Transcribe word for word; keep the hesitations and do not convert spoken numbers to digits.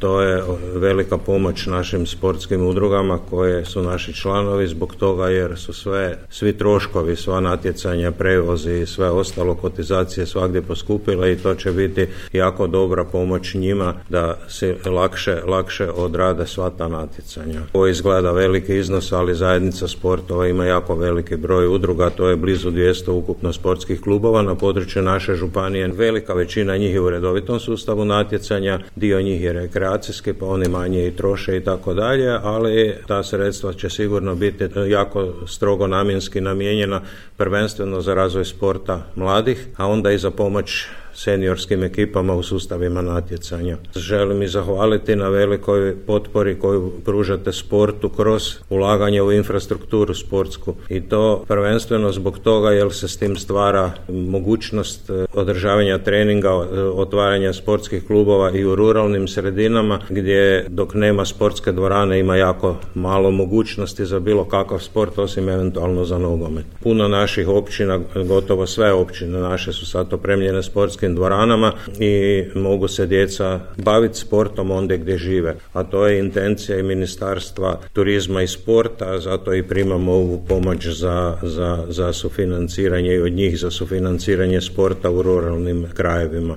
To je velika pomoć našim sportskim udrugama koje su naši članovi zbog toga jer su sve, svi troškovi, sva natjecanja, prevozi i sve ostalo, kotizacije svagdje poskupile i to će biti jako dobra pomoć njima da se lakše, lakše odrade sva ta natjecanja. Ovo izgleda veliki iznos, ali zajednica sportova ima jako veliki broj udruga, to je blizu dvjesto ukupno sportskih klubova na području naše županije. Velika većina njih je u redovitom sustavu natjecanja, dio njih je rekreacijski, pa oni manje i troše i tako dalje, ali ta sredstva će sigurno biti jako strogo namjenski namijenjena prvenstveno za razvoj sporta mladih, a onda i za pomoć seniorskim ekipama u sustavima natjecanja. Želim i zahvaliti na velikoj potpori koju pružate sportu kroz ulaganje u infrastrukturu sportsku i to prvenstveno zbog toga jer se s tim stvara mogućnost održavanja treninga, otvaranja sportskih klubova i u ruralnim sredinama gdje dok nema sportske dvorane ima jako malo mogućnosti za bilo kakav sport osim eventualno za nogomet. Puno naših općina, gotovo sve općine naše su sad opremljene sportskim dvoranama i mogu se djeca baviti sportom ondje gdje žive. A to je intencija i Ministarstva turizma i sporta, zato i primamo ovu pomoć za, za, za sufinanciranje i od njih za sufinanciranje sporta u ruralnim krajevima.